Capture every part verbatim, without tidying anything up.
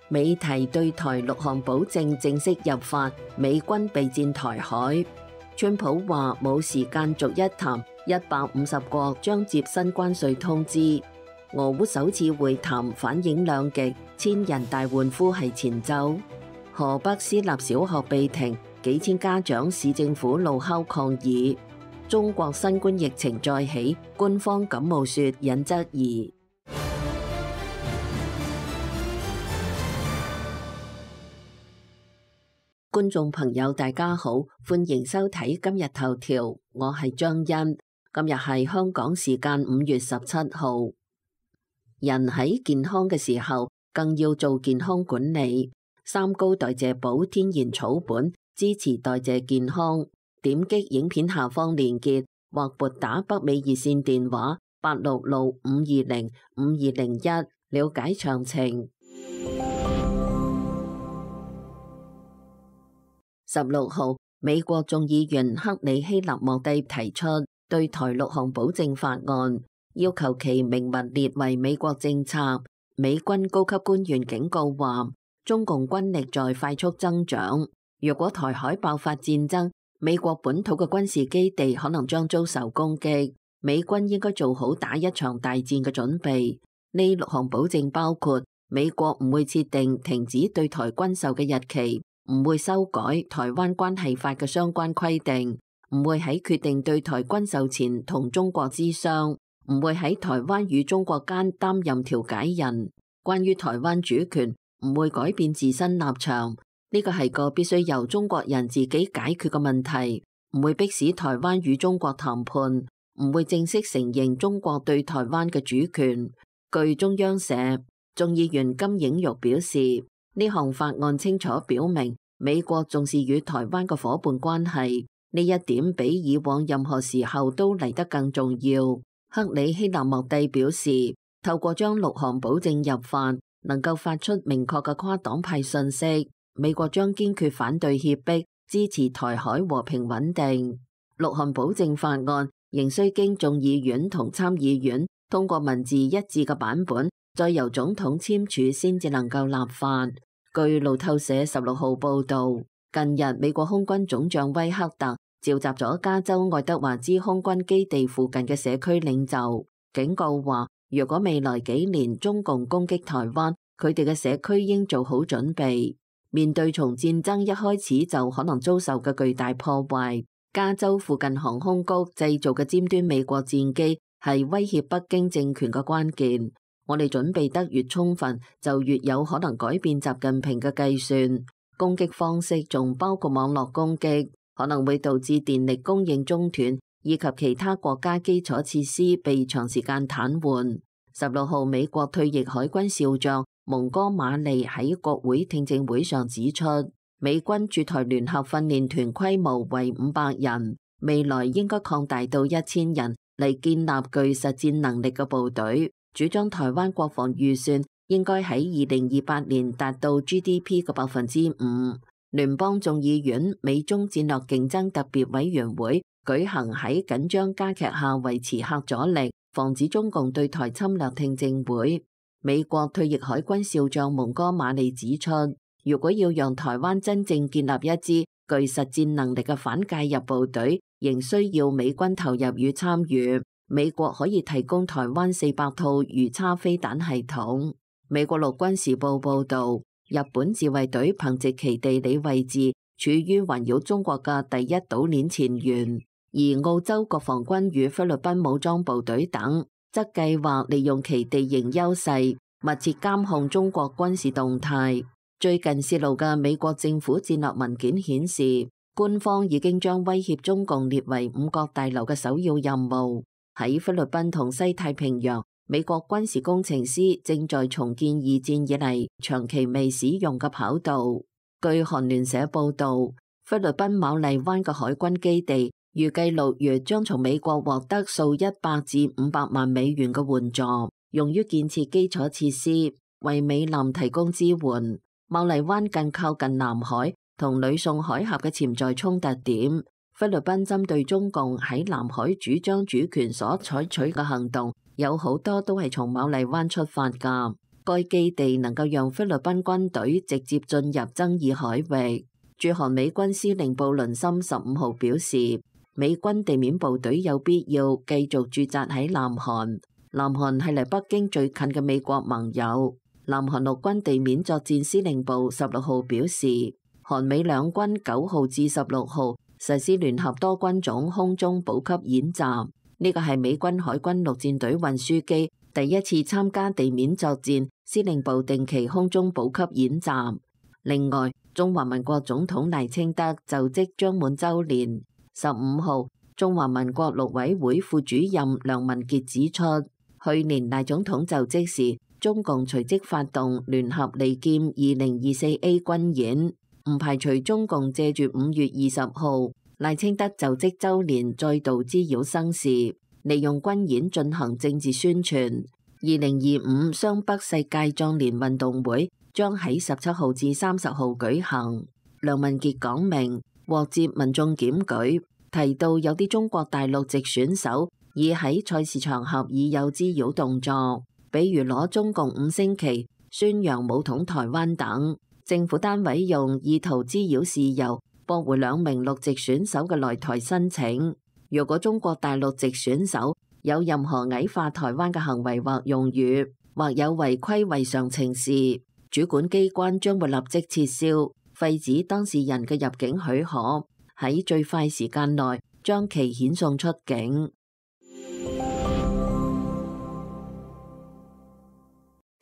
美提對台六項保證正式入法，美軍備戰台海。川普話冇時間逐一談，一百五十國將接新關稅通知。俄烏首次會談反映兩極，千人大歡呼係前奏。河北私立小學被停，幾千家長市政府怒敲抗議。中國新冠疫情再起，官方感冒雪引質疑。觀眾朋友大家好，歡迎收睇今日頭條，我係張欣。今日係香港時間五月十七號。人喺健康嘅時候，更要做健康管理。三高代謝寶天然草本，支持代謝健康。點擊影片下方連結，或撥打北美熱線電話八六六五二零五二零一，了解詳情。十六號，美國眾議員克里希納莫蒂提出對台六項保證法案，要求其明文列為美國政策。美軍高級官員警告話，中共軍力在快速增長，若果台海爆發戰爭，美國本土嘅軍事基地可能將遭受攻擊。美軍應該做好打一場大戰嘅準備。呢六項保證包括美國唔會設定停止對台軍售嘅日期，唔會修改台灣關係法嘅相關規定，唔會喺決定對台軍售前同中國諮商，唔會喺台灣與中國間擔任調解人。關於台灣主權，唔會改變自身立場。呢個係個必須由中國人自己解決嘅問題，唔會迫使台灣與中國談判，唔會正式承認中國對台灣嘅主權。據中央社，眾議員金映玉表示，呢項法案清楚表明美國重視與台灣嘅夥伴關係，呢一點比以往任何時候都嚟得更重要。克里希納莫蒂表示，透過將六項保證入法，能夠發出明確嘅跨黨派信息，美國將堅決反對脅迫，支持台海和平穩定。六項保證法案仍需經眾議院同參議院通過文字一致嘅版本，再由總統簽署先至能夠立法。據路透社十六號報道，近日美國空軍總將威克特召集咗加州愛德華茲空軍基地附近嘅社區領袖，警告話，若果未來幾年中共攻擊台灣，佢哋嘅社區應做好準備。面對從戰爭一開始就可能遭受嘅巨大破壞，加州附近航空局製造嘅尖端美國戰機係威脅北京政權嘅關鍵。我哋準備得越充分，就越有可能改變習近平嘅計算。攻擊方式仲包括網絡攻擊，可能會導致電力供應中斷，以及其他國家基礎設施被長時間癱瘓。十六號，美國退役海軍少將蒙哥馬利喺國會聽證會上指出，美軍駐台聯合訓練團規模為五百人，未來應該擴大到一千人嚟建立具實戰能力嘅部隊。主張台灣國防預算應該喺二零二八年達到 G D P 嘅百分之五。聯邦眾議院美中戰略競爭特別委員會舉行喺緊張加劇下維持核阻力，防止中共對台侵略聽證會。美國退役海軍少將蒙哥馬利指出，如果要讓台灣真正建立一支具實戰能力嘅反介入部隊，仍需要美軍投入與參與。美國可以提供台灣四百套魚叉飛彈系統。美國陸軍時報報道，日本自衛隊憑藉其地理位置，處於環繞中國嘅第一島鏈前緣，而澳洲國防軍與菲律賓武裝部隊等，則計劃利用其地形優勢，密切監控中國軍事動態。最近泄露嘅美國政府戰略文件顯示，官方已經將威脅中共列為五角大樓嘅首要任務。喺菲律賓同西太平洋，美國軍事工程師正在重建二戰以嚟長期未使用嘅跑道。據韓聯社報導，菲律賓馬麗灣嘅海軍基地預計六月將從美國獲得數一百至五百萬美元嘅援助，用於建設基礎設施，為美艦提供支援。馬麗灣更靠近南海同呂宋海峽嘅潛在衝突點。菲律賓針對中共喺南海主張主權所採取嘅行動，有好多都係從馬麗灣出發㗎。該基地能夠讓菲律賓軍隊直接進入爭議海域。駐韓美軍司令布倫森十五號表示，美軍地面部隊有必要繼續駐紮喺南韓。南韓係離北京最近嘅美國盟友。南韓陸軍地面作戰司令部十六號表示，韓美兩軍九號至十六號實施聯合多軍種空中補給演習，呢個係美軍海軍陸戰隊運輸機第一次參加地面作戰司令部定期空中補給演習。另外，中華民國總統賴清德就職將滿週年。十五號，中華民國陸委會副主任梁文傑指出，去年賴總統就職時，中共隨即發動聯合利劍二零二四 A 軍演，唔排除中共借住五月二十號賴清德就職週年再度滋擾生事，利用軍演進行政治宣傳。二零二五雙北世界壯年運動會將喺十七號至三十號舉行。梁文傑講明獲接民眾檢舉，提到有啲中國大陸籍選手已喺賽事場合已有滋擾動作，比如攞中共五星旗、宣揚武統台灣等。政府單位用意圖滋擾事由駁回兩名陸籍選手嘅來台申請。如果中國大陸籍選手有任何矮化台灣嘅行為或用語，或有違規違常情事，主管機關將會立即撤銷、廢止當事人嘅入境許可，喺最快時間內將其遣送出境。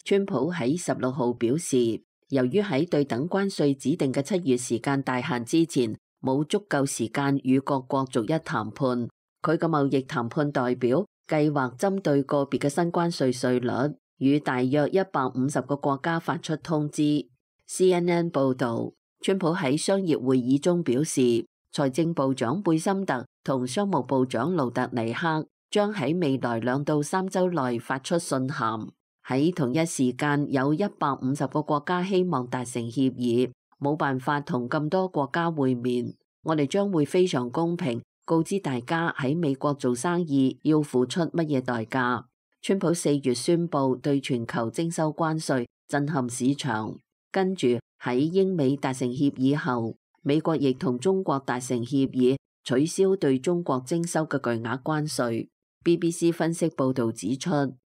川普喺十六號表示，由於喺對等關稅指定嘅七月時間大限之前冇足夠時間與各國逐一談判，佢嘅貿易談判代表計劃針對個別嘅新關稅稅率，與大約一百五十個國家發出通知。C N N 報導，川普喺商業會議中表示，財政部長貝森特同商務部長盧特尼克將喺未來兩到三週內發出信函。喺同一時間，有一百五十個國家希望達成協議，冇辦法同咁多國家會面。我哋將會非常公平，告知大家喺美國做生意要付出乜嘢代價。川普四月宣布對全球徵收關稅，震撼市場。跟住喺英美達成協議後，美國亦同中國達成協議，取消對中國徵收嘅巨額關稅。B B C 分析報導指出，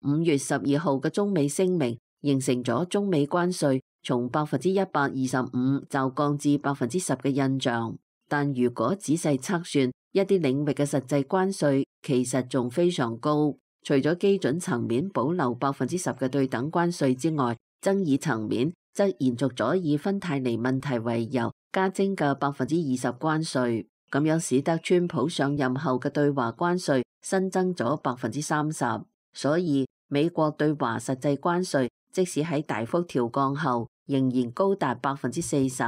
五月十二號嘅中美聲明形成咗中美關稅從百分之一百二十五驟降至百分之十嘅印象。但如果仔細測算，一啲領域嘅實際關稅其實仲非常高。除咗基準層面保留百分之十嘅對等關稅之外，爭議層面則延續咗以芬太尼問題為由加徵嘅百分之二十關稅，咁樣使得川普上任後嘅對華關稅新增咗百分之三十。所以美國對華實際關稅即使喺大幅調降後，仍然高達百分之四十。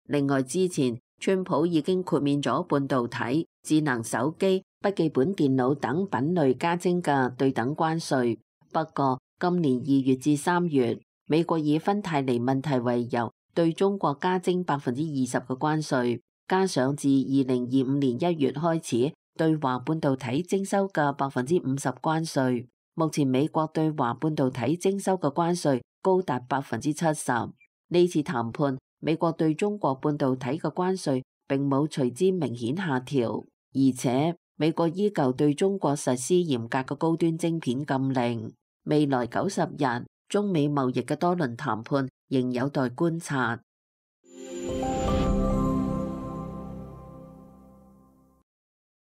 另外，之前川普已經豁免咗半導體、智能手機、筆記本電腦等品類加徵嘅對等關稅。不過今年二月至三月，美國以芬太尼問題為由，對中國加徵百分之二十嘅關稅，加上自二零二五年一月開始對華半導體徵收嘅百分之五十關稅。目前美國對華半導體徵收嘅關稅高達百分之七十。呢次談判，美國對中國半導體嘅關稅並冇隨之明顯下調，而且美國依舊對中國實施嚴格嘅高端晶片禁令。未來九十日，中美貿易嘅多輪談判仍有待觀察。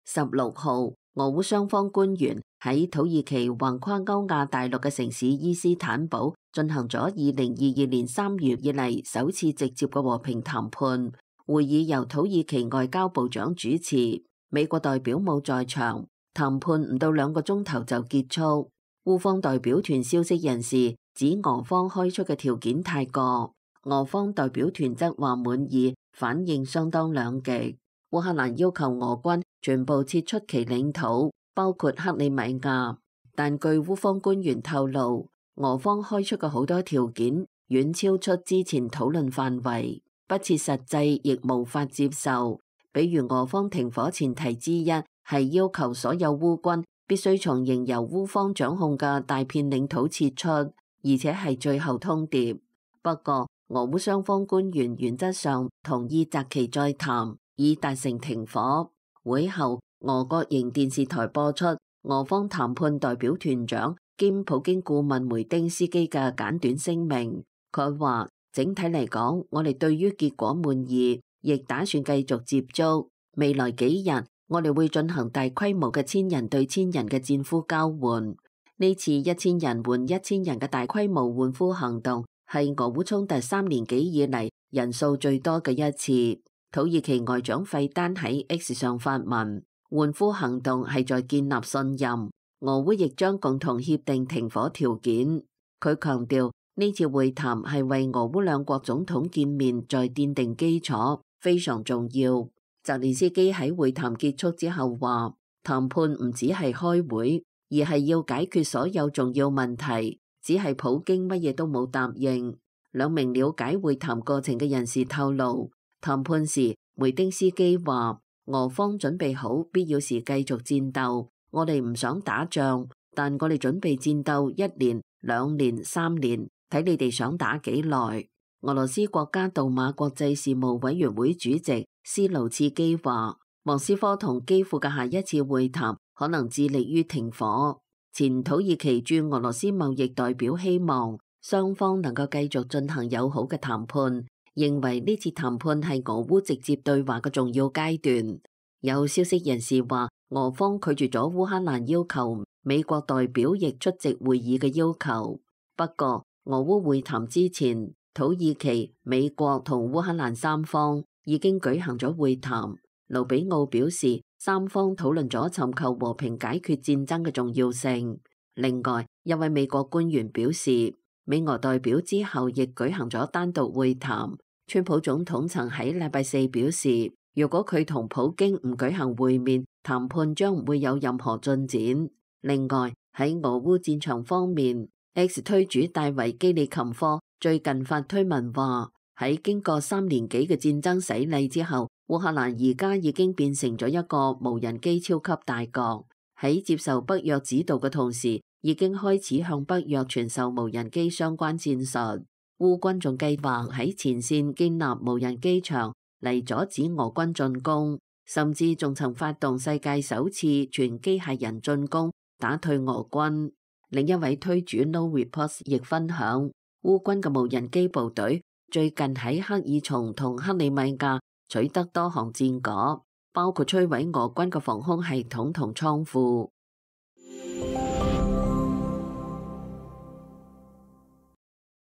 十六號，俄烏雙方官員喺土耳其橫跨歐亞大陸嘅城市伊斯坦堡進行咗二零二二年三月以嚟首次直接嘅和平談判。會議由土耳其外交部長主持，美國代表冇在場。談判唔到兩個鐘頭就結束。烏方代表團消息人士指俄方開出嘅條件太過，俄方代表團則話滿意，反應相當兩極。烏克蘭要求俄軍全部撤出其領土，包括克里米亞，但據烏方官員透露，俄方開出嘅好多條件遠超出之前討論範圍，不切實際，亦無法接受。比如俄方停火前提之一係要求所有烏軍必須從仍由烏方掌控嘅大片領土撤出，而且係最後通牒。不過，俄烏雙方官員原則上同意擇期再談，以達成停火。會後，俄國營電視台播出俄方談判代表團長兼普京顧問梅丁斯基嘅簡短聲明。佢話：整體嚟講，我哋對於結果滿意，亦打算繼續接觸。未來幾日，我哋會進行大規模嘅千人對千人嘅戰俘交換。呢次一千人換一千人嘅大規模換俘行動，係俄烏衝突三年幾以嚟人數最多嘅一次。土耳其外長費丹喺 X 上發文，換俘行動係在建立信任，俄烏亦將共同協定停火條件。佢強調呢次會談係為俄烏兩國總統見面再奠定基礎，非常重要。澤連斯基喺會談結束之後話，談判唔只係開會，而係要解決所有重要問題，只係普京乜嘢都冇答應。兩名了解會談過程嘅人士透露，談判時梅丁斯基話，俄方準備好必要時繼續戰鬥，我哋唔想打仗，但我哋準備戰鬥一年、兩年、三年，睇你哋想打幾耐。俄羅斯國家杜馬國際事務委員會主席斯盧茨基話，莫斯科同基輔嘅下一次會談可能致力於停火。前土耳其駐俄羅斯貿易代表希望雙方能夠繼續進行友好嘅談判，認為呢次談判係俄烏直接對話嘅重要階段。有消息人士話，俄方拒絕咗烏克蘭要求美國代表亦出席會議嘅要求。不過，俄烏會談之前，土耳其、美國同烏克蘭三方已經舉行咗會談。盧比奧表示，三方討論咗尋求和平解決戰爭嘅重要性。另外，一位美國官員表示，美俄代表之後亦舉行咗單獨會談。川普總統曾喺禮拜四表示，如果佢同普京唔舉行會面，談判將唔會有任何進展。另外，喺俄烏戰場方面，X 推主戴維基里琴科最近發推文話，喺經過三年幾嘅戰爭洗禮之後，烏克蘭而家已經變成咗一個無人機超級大國。喺接受北約指導嘅同時，已經開始向北約傳授無人機相關戰術。烏軍仲計劃喺前線建立無人機場嚟阻止俄軍進攻，甚至仲曾發動世界首次全機械人進攻，打退俄軍。另一位推主 No Reports 亦分享，烏軍嘅無人機部隊最近喺克爾松同克里米亞取得多項戰果，包括摧毀俄軍嘅防空系統同倉庫。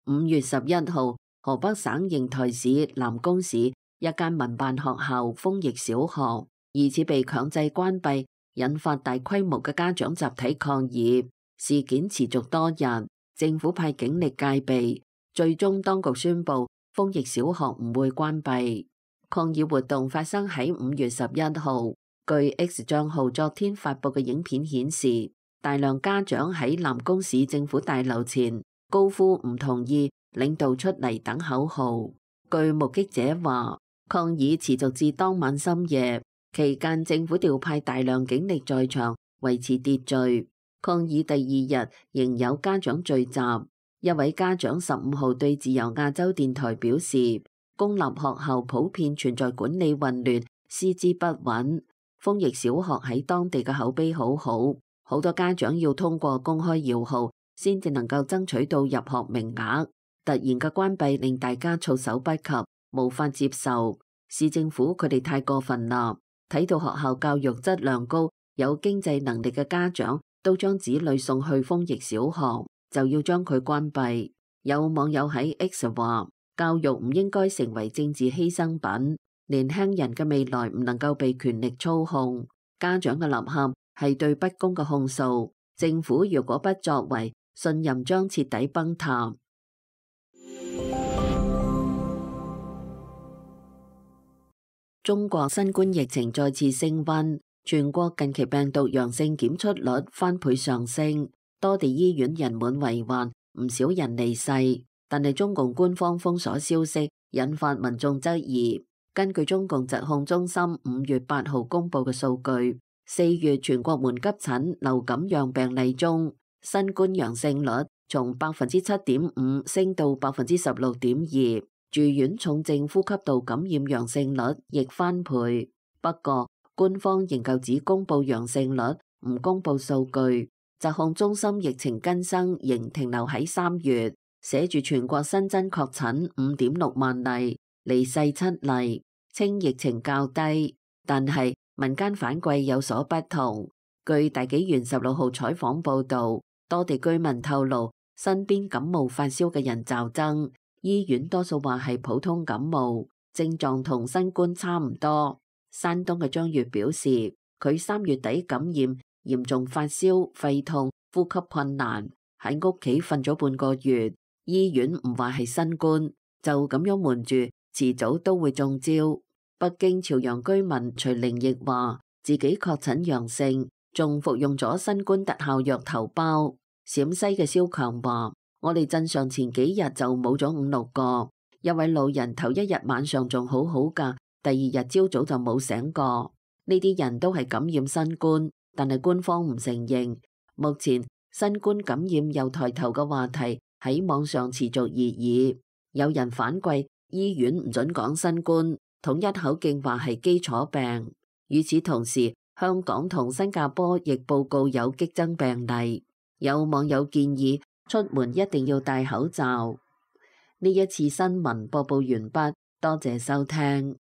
五月十一號，河北省邢台市南宮市一間民辦學校豐益小學疑似被強制關閉，引發大規模嘅家長集體抗議。事件持續多日，政府派警力戒備，最終當局宣布豐益小學唔會關閉。抗議活動發生喺五月十一號。據 X 賬號昨天發佈嘅影片顯示，大量家長喺南宮市政府大樓前高呼唔同意，領導出嚟等口號。據目擊者話，抗議持續至當晚深夜，期間政府調派大量警力在場維持秩序。抗議第二日仍有家長聚集。一位家長十五號對自由亞洲電台表示，公立學校普遍存在管理混亂、師資不穩。豐益小學喺當地嘅口碑好好，好多家長要通過公開搖號先至能夠爭取到入學名額。突然嘅關閉令大家措手不及，無法接受。市政府佢哋太過分啦，睇到學校教育質量高、有經濟能力嘅家長都將子女送去豐益小學，就要將佢關閉。有網友喺 X 話，教育唔應該成為政治犧牲品，年輕人嘅未來唔能夠被權力操控。家長嘅吶喊係對不公嘅控訴，政府如果不作為，信任將徹底崩塌。中國新冠疫情再次升溫，全國近期病毒陽性檢出率翻倍上升，多地醫院人滿為患，唔少人離世。但係中共官方封鎖消息，引發民眾質疑。根據中共疾控中心五月八號公布嘅數據，四月全國門急診流感樣病例中，新冠陽性率從百分之七點五升到百分之十六點二，住院重症呼吸道感染陽性率亦翻倍。不過，官方仍舊只公布陽性率，唔公布數據。疾控中心疫情更新仍停留喺三月，寫住全國新增確診五點六萬例，離世七例，稱疫情較低。但係民間反饋有所不同。據大紀元十六號採訪報導，多地居民透露身邊感冒發燒嘅人驟增，醫院多數話係普通感冒，症狀同新冠差唔多。山東嘅張月表示，佢三月底感染，嚴重發燒、肺痛、呼吸困難，喺屋企瞓咗半個月，醫院唔話係新冠，就咁樣瞞住，遲早都會中招。北京朝陽居民徐玲亦話自己確診陽性，仲服用咗新冠特效藥頭孢。陝西嘅蕭強話：我哋鎮上前幾日就冇咗五六個，一位老人頭一日晚上仲好好噶，第二日朝早就冇醒過。呢啲人都係感染新冠，但係官方唔承認。目前新冠感染又抬頭嘅話題喺網上持續熱議，有人反饋醫院唔准講新冠，統一口徑話係基礎病。與此同時，香港同新加坡亦報告有激增病例。有網友建議出門一定要戴口罩。呢一次新聞播報完畢，多謝收聽。